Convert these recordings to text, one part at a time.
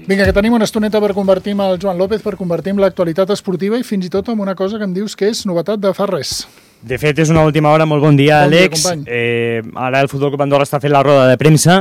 Vinga, que tenim una estoneta per convertir amb el Joan López, per convertir en l'actualitat esportiva i fins i tot amb una cosa que em dius que és novetat de fa res. De fet, és una última hora. Molt bon dia, Àlex. Ara el Futbol Club Andorra està fent la roda de premsa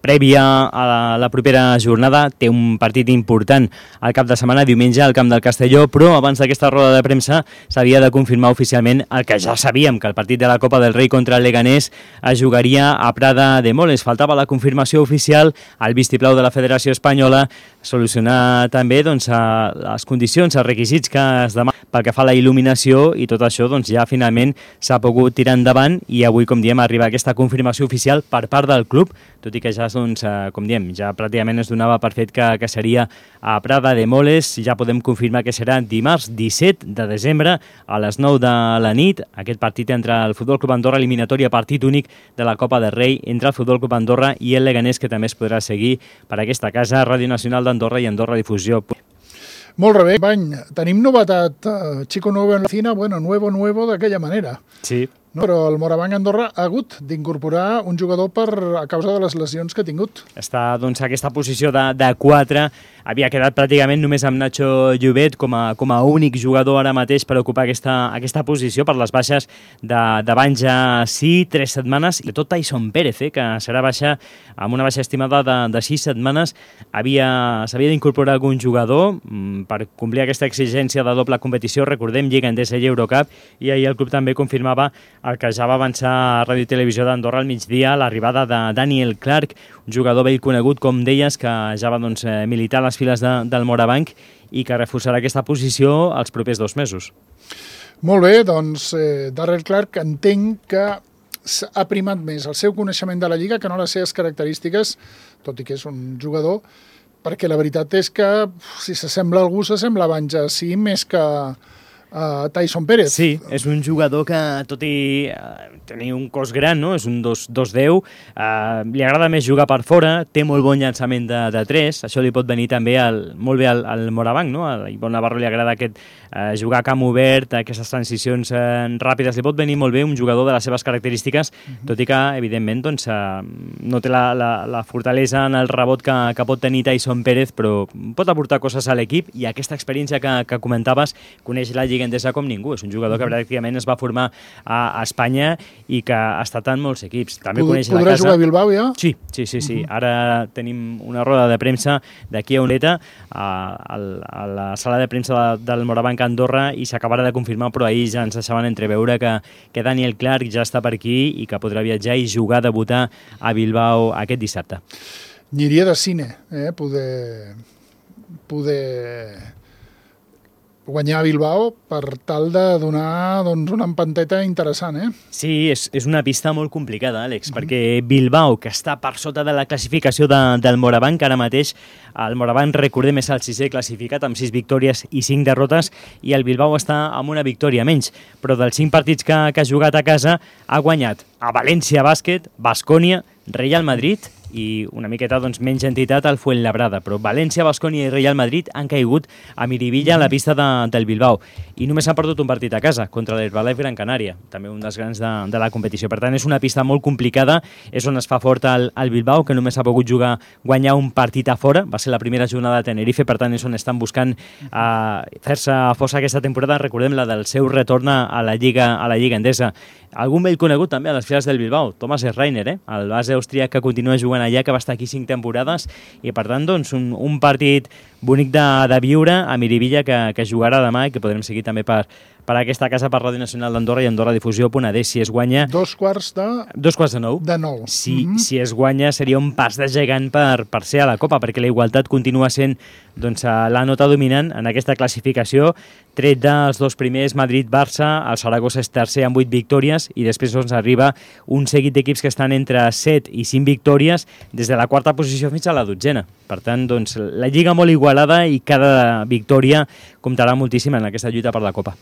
prèvia a la propera jornada. Té un partit important al cap de setmana, diumenge, al camp del Castelló, però abans d'aquesta roda de premsa s'havia de confirmar oficialment el que ja sabíem, que el partit de la Copa del Rei contra el Leganés es jugaria a Prada de Moles. Faltava la confirmació oficial al vistiplau de la Federació Espanyola, solucionar també les condicions, els requisits que es demanen pel que fa a la il·luminació, i tot això ja finalment s'ha pogut tirar endavant i avui, com diem, arriba aquesta confirmació oficial per part del club, tot i que ja, com diem, ja pràcticament es donava per fet que seria a Prada de Moles. Ja podem confirmar que serà dimarts 17 de desembre a les 9 de la nit, aquest partit entre el Futbol Club Andorra, eliminatòria, partit únic de la Copa del Rei entre el Futbol Club Andorra i el Leganés, que també es podrà seguir per aquesta casa, Ràdio Nacional d'Andorra i Andorra Difusió. Molt bé, Bany, tenim novetat, chico nuevo en la cina, bueno, nuevo d'aquella manera. Sí. No, però el Morabanc Andorra ha hagut d'incorporar un jugador a causa de les lesions que ha tingut. Està, aquesta posició de 4, havia quedat pràcticament només amb Nacho Llobet com a únic jugador ara mateix per ocupar aquesta posició per les baixes d'abans ja 3 setmanes, i tot Tyson Pérez, que serà baixa amb una baixa estimada de 6 setmanes. S'havia d'incorporar algun jugador per complir aquesta exigència de doble competició, recordem, Lliga Endesa i Eurocup, i ahir el club també confirmava el que ja va avançar a Ràdio i Televisió d'Andorra al migdia, l'arribada de Daniel Clark, un jugador vell conegut, com deies, que ja va militar a les files del Morabanc i que reforçarà aquesta posició els propers 2 mesos. Molt bé, doncs Daniel Clark entenc que ha primat més el seu coneixement de la Lliga que no les seves característiques, tot i que és un jugador, perquè la veritat és que si s'assembla a algú, s'assembla abans a sí més que Tyson Pérez. Sí, és un jugador que, tot i tenir un cos gran, no? És un 2'10", li agrada més jugar per fora, té molt bon llançament de 3, això li pot venir també molt bé al Morabanc, no? A Ivonne Navarro li agrada jugar a camp obert, aquestes transicions ràpides, li pot venir molt bé un jugador de les seves característiques, tot i que, evidentment, no té la fortalesa en el rebot que pot tenir Tyson Pérez, però pot aportar coses a l'equip, i aquesta experiència que comentaves, coneix la Lliga Endesa com ningú. És un jugador que pràcticament es va formar a Espanya i que ha estat en molts equips. També coneix la casa. Podrà jugar a Bilbao ja? Sí. Ara tenim una roda de premsa d'aquí a una horeta a la sala de premsa del Morabanc Andorra, i s'acabarà de confirmar, però ahir ja ens deixaven entreveure que Daniel Clark ja està per aquí i que podrà viatjar i jugar, debutar a Bilbao aquest dissabte. Aniria de cine, poder guanyar a Bilbao per tal de donar una empanteta interessant, Sí, és una pista molt complicada, Àlex, perquè Bilbao, que està per sota de la classificació del Morabanc, ara mateix el Morabanc, recordem, és el 6è classificat amb 6 victòries i 5 derrotes, i el Bilbao està amb una victòria menys, però dels 5 partits que ha jugat a casa ha guanyat a València Bàsquet, Baskonia, Real Madrid i una miqueta menys entitat al Fuenlabrada, però València, Baskonia i Real Madrid han caigut a Miribilla a la pista del Bilbao, i només han perdut un partit a casa contra l'Herbalife Gran Canària, també un dels grans de la competició. Per tant, és una pista molt complicada, és on es fa fort el Bilbao, que només ha pogut guanyar un partit a fora, va ser la primera jornada de Tenerife, per tant és on estan buscant fer-se força aquesta temporada. Recordem la del seu retorn a la Lliga Endesa. Algun vell conegut també a les files del Bilbao, Thomas Reiner, el base austríac que continua jugant allà, que va estar aquí 5 temporades, i per tant un partit bonic de viure a Miribilla, que jugarà demà i que podrem seguir també per aquesta casa, per Ràdio Nacional d'Andorra i Andorra Difusió.d. Si es guanya... 9:15. De 9. Si es guanya seria un pas de gegant per ser a la Copa, perquè la igualtat continua sent la nota dominant en aquesta classificació, tret dels 2 primers, Madrid-Barça, el Saragossa és tercer amb 8 victòries, i després arriba un seguit d'equips que estan entre 7 i 5 victòries, des de la 4a posició fins a la 12a. Per tant, la lliga molt igualada, i cada victòria comptarà moltíssim en aquesta lluita per la Copa.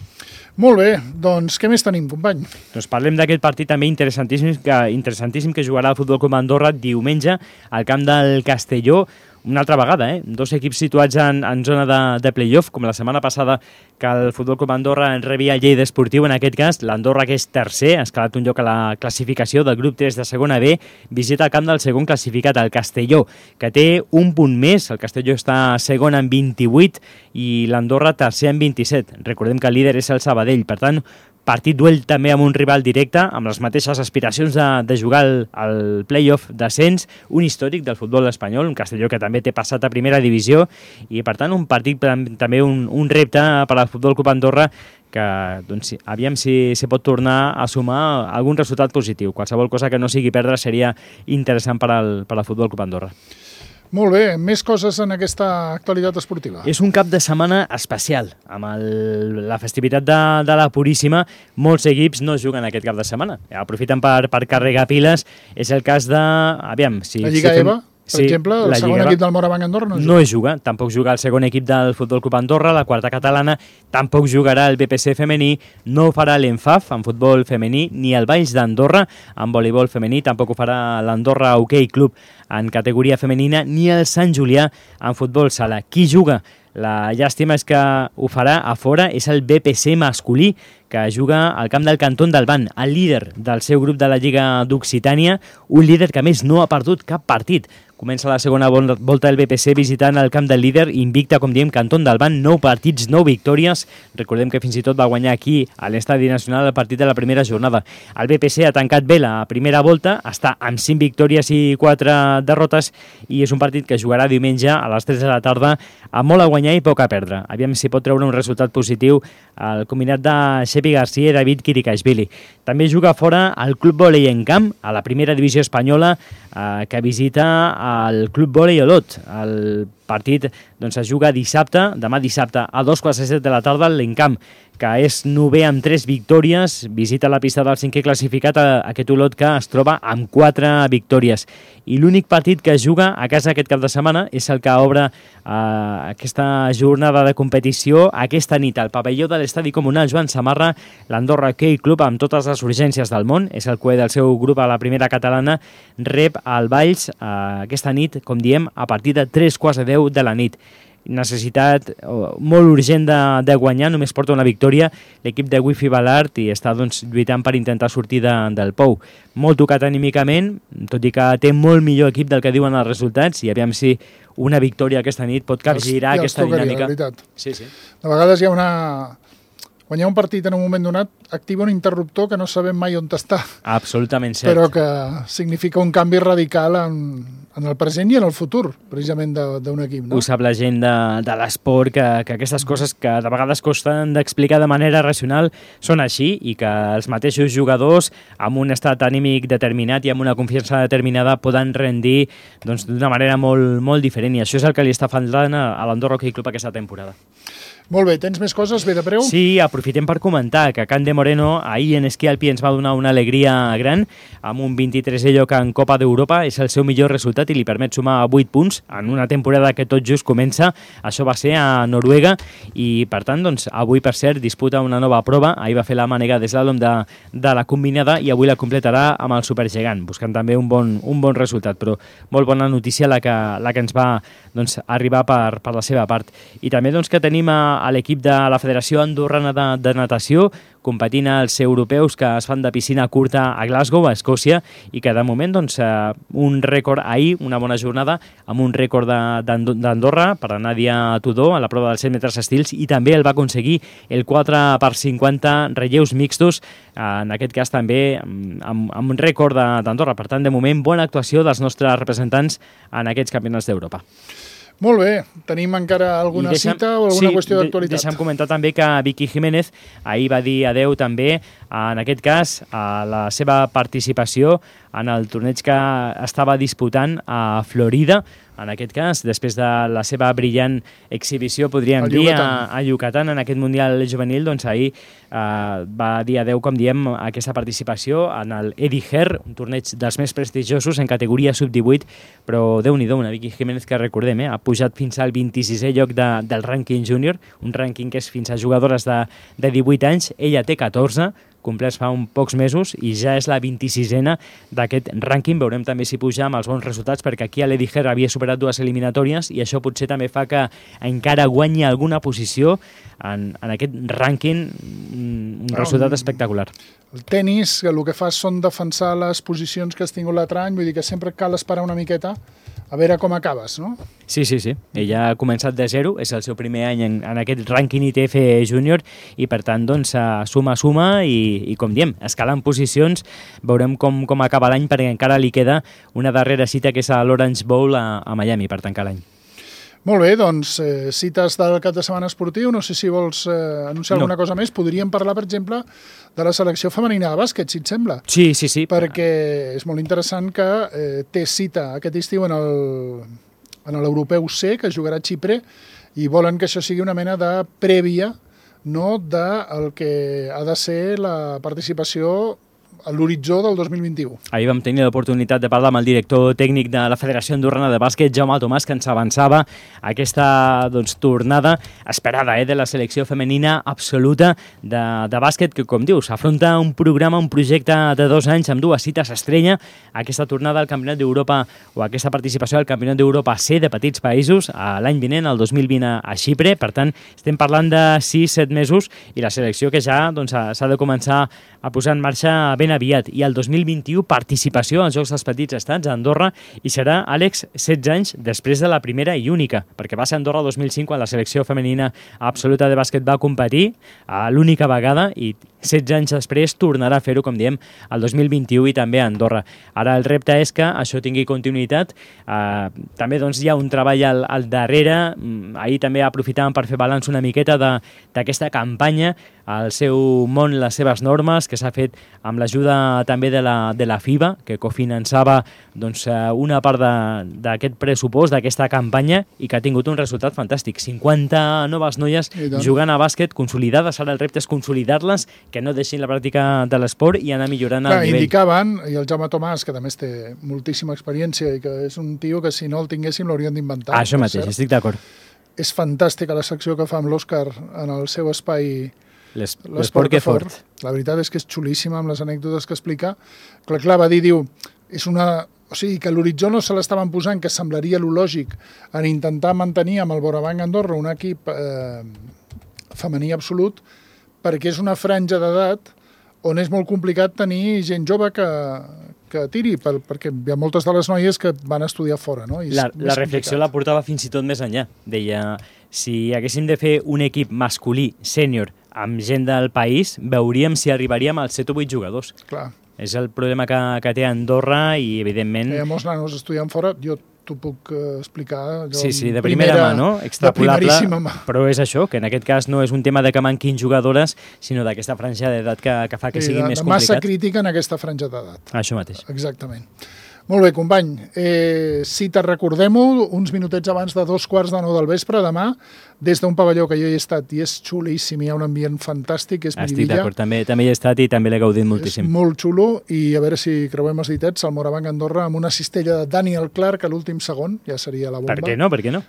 Molt bé, doncs què més tenim, company? Doncs parlem d'aquest partit també interessantíssim que jugarà el Futbol Club Andorra diumenge al camp del Castelló, una altra vegada, dos equips situats en zona de play-off, com la setmana passada que el Futbol Club Andorra rebia el Lleida Esportiu, en aquest cas l'Andorra, que és tercer, ha escalat un lloc a la classificació del grup 3 de segona B, visita el camp del segon classificat, el Castelló, que té un punt més. El Castelló està segon amb 28 i l'Andorra tercer amb 27. Recordem que el líder és el Sabadell, per tant, partit duel també amb un rival directe, amb les mateixes aspiracions de jugar al play-off d'ascens, un històric del futbol espanyol, un Castelló que també té passat a primera divisió, i per tant un partit també un repte per al Futbol Club Andorra, que doncs, aviam si pot tornar a sumar algun resultat positiu. Qualsevol cosa que no sigui perdre seria interessant per al Futbol Club Andorra. Molt bé, més coses en aquesta actualitat esportiva. És un cap de setmana especial. Amb la festivitat de la Puríssima, molts equips no juguen aquest cap de setmana. Aprofiten per carregar piles. És el cas de... Aviam, la Lliga EVA, per exemple, el segon equip del Morabanc Andorra no juga. Tampoc juga el segon equip del Futbol Club Andorra, la quarta catalana, tampoc jugarà el BPC femení, no ho farà l'ENFAF en futbol femení, ni el Valls d'Andorra en voleibol femení, tampoc ho farà l'Andorra Hockey Club en categoria femenina, ni el Sant Julià en futbol sala. Qui juga? La llàstima és que ho farà a fora, és el BPC masculí, que juga al camp del Cantón d'Alban, el líder del seu grup de la Lliga d'Occitània, un líder que a més no ha perdut cap partit. Comença la segona volta del BPC visitant el camp del líder, invicta, com diem, Cantón d'Alban, 9 partits, 9 victòries. Recordem que fins i tot va guanyar aquí a l'Estadi Nacional el partit de la primera jornada. El BPC ha tancat bé la primera volta, està amb 5 victòries i 4 derrotes, i és un partit que jugarà diumenge a les 3 de la tarda, amb molt a guanyar i poc a perdre. Aviam si pot treure un resultat positiu el combinat de Xepi García i David Kirikashvili. També juga fora el Club Vòlei en Camp, a la primera divisió espanyola, que visita el Club Vòlei Olot. El partit es juga dissabte, demà dissabte, a 2:15 de la tarda, l'Encamp, que és novè amb 3 victòries, visita la pista del cinquè classificat, aquest Olot que es troba amb 4 victòries. I l'únic partit que juga a casa aquest cap de setmana és el que obre aquesta jornada de competició aquesta nit al pavelló de l'Estadi Comunal Joan Samarra, l'Andorra Hockey Club, amb totes les urgències del món, és el cué del seu grup a la primera catalana, rep el Valls aquesta nit, com diem, a partir de 3:15 de la nit. Necessitat molt urgent de guanyar, només porta una victòria l'equip de Wifi Balart i està lluitant per intentar sortir del pou. Molt tocat anímicament, tot i que té molt millor equip del que diuen els resultats, i aviam si una victòria aquesta nit pot capgirar aquesta dinàmica. Sí. De vegades hi ha guanyar un partit en un moment donat activa un interruptor que no sabem mai on està. Absolutament cert. Però que significa un canvi radical en el present i en el futur, precisament, d'un equip. No? Ho sap la gent de l'esport, que aquestes coses que de vegades costen d'explicar de manera racional són així, i que els mateixos jugadors, amb un estat anímic determinat i amb una confiança determinada, poden rendir d'una manera molt, molt diferent, i això és el que li està faltant a l'Andorra Hockey Club aquesta temporada. Molt bé, tens més coses, ve de preu? Sí, aprofitem per comentar que Can de Moreno ahir en esquí alpí ens va donar una alegria gran, amb un 23è lloc en Copa d'Europa, és el seu millor resultat i li permet sumar 8 punts en una temporada que tot just comença. Això va ser a Noruega i, per tant, avui, per cert, disputa una nova prova. Ahir va fer la mànega d'eslàlom de la combinada i avui la completarà amb el supergegant, buscant també un bon resultat, però molt bona notícia la que ens va arribar per la seva part. I també que tenim a l'equip de la Federació Andorrana de Natació competint als europeus que es fan de piscina curta a Glasgow, a Escòcia, i que de moment un rècord ahir, una bona jornada, amb un rècord d'Andorra per a Nàdia Tudor a la prova dels 100 metres estils, i també el va aconseguir el 4x50 relleus mixtos, en aquest cas també amb un rècord d'Andorra. Per tant, de moment, bona actuació dels nostres representants en aquests campionats d'Europa. Molt bé. Tenim encara alguna cita o alguna qüestió d'actualitat? Deixa'm comentar també que Vicky Jiménez ahir va dir adeu també, en aquest cas, a la seva participació en el torneig que estava disputant a Florida, en aquest cas, després de la seva brillant exhibició, podríem dir, a Yucatán, en aquest Mundial Juvenil, ahir va dir adeu, com diem, a aquesta participació en el Eddie Herr, un torneig dels més prestigiosos en categoria sub-18, però Déu-n'hi-do, una Vicky Jiménez que recordem, ha pujat fins al 26è lloc del rànquing júnior, un rànquing que és fins a jugadores de 18 anys, ella té 14, complerts fa uns pocs mesos i ja és la 26a d'aquest rànquing. Veurem també si puja amb els bons resultats, perquè aquí a l'Eddie Herr havia superat 2 eliminatòries i això potser també fa que encara guanyi alguna posició en aquest rànquing, un resultat espectacular. El tennis, el que fa són defensar les posicions que has tingut l'altre any, vull dir que sempre cal esperar una miqueta a veure com acabes, no? Sí. Ella ha començat de zero, és el seu primer any en aquest rànquing ITF júnior i per tant doncs suma i com diem, escalant posicions, veurem com acaba l'any perquè encara li queda una darrera cita que és a l'Orange Bowl a Miami per tancar l'any. Molt bé, doncs cites del cap de setmana esportiu, no sé si vols anunciar alguna cosa més. Podríem parlar, per exemple, de la selecció femenina de bàsquet, si et sembla. Sí. Perquè és molt interessant que té cita aquest estiu en l'Europeu C, que jugarà a Xipre, i volen que això sigui una mena de prèvia, no, del que ha de ser la participació a l'horitzó del 2021. Ahir vam tenir l'oportunitat de parlar amb el director tècnic de la Federació Andorrana de Bàsquet, Jaume Tomàs, que ens avançava aquesta tornada esperada de la selecció femenina absoluta de bàsquet, que, com dius, afronta un programa, un projecte de 2 anys amb 2 cites estrella, aquesta tornada al Campionat d'Europa o aquesta participació al Campionat d'Europa C de petits països l'any vinent, el 2020 a Xipre. Per tant, estem parlant de 6-7 mesos i la selecció que ja s'ha de començar a posar en marxa ben aviat. I el 2021 participació als Jocs dels Petits Estats a Andorra i serà, Àlex, 16 anys després de la primera i única, perquè va ser a Andorra el 2005 quan la selecció femenina absoluta de bàsquet va competir l'única vegada i 16 anys després tornarà a fer-ho, com diem, el 2021 i també a Andorra. Ara el repte és que això tingui continuïtat. També doncs, hi ha un treball al darrere. Ahir també aprofitàvem per fer balanç una miqueta d'aquesta campanya, el seu món, les seves normes, que s'ha fet amb l'ajuda també de la FIBA, que cofinançava una part d'aquest pressupost, d'aquesta campanya, i que ha tingut un resultat fantàstic. 50 noves noies jugant a bàsquet, consolidades. Ara el repte és consolidar-les, que no deixin la pràctica de l'esport i anar millorant el nivell. Indicaven, i el Jaume Tomàs, que també té moltíssima experiència i que és un tio que si no el tinguéssim l'haurien d'inventar. Això mateix, estic d'acord. És fantàstica la secció que fa amb l'Òscar en el seu espai L'esport que fort. La veritat és que és xulíssima amb les anècdotes que explica. Clar, va dir, diu, o sigui, que l'horitzó no se l'estaven posant, que semblaria lo lògic en intentar mantenir amb el Borabanc Andorra un equip femení absolut, perquè és una franja d'edat on és molt complicat tenir gent jove que tiri, perquè hi ha moltes de les noies que van estudiar fora, no? La reflexió la portava fins i tot més enllà. Deia, si haguéssim de fer un equip masculí, sènior, amb gent del país, veuríem si arribaríem als 7 o 8 jugadors. Clar. És el problema que té Andorra i, evidentment... Hi ha molts nanos estudiant fora, jo t'ho puc explicar. Sí, de primera mà, no? Extrapolable, però és això, que en aquest cas no és un tema de que manquin jugadores, sinó d'aquesta franja d'edat que fa que sigui més complicat. Massa crítica en aquesta franja d'edat. Això mateix. Exactament. Molt bé, company. Si te recordem-ho, uns minutets abans de 2:15 del vespre, demà, des d'un pavelló que jo hi he estat i és xulíssim, hi ha un ambient fantàstic, és Miribilla. Estic d'acord, també hi he estat i també l'he gaudit moltíssim. És molt xulo i a veure si creuem els ditets, el Morabanc Andorra amb una cistella de Daniel Clark a l'últim segon, ja seria la bomba. Per què no?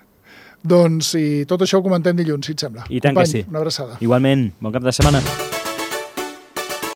Doncs tot això ho comentem dilluns, si et sembla. I tant que sí. Una abraçada. Igualment, bon cap de setmana.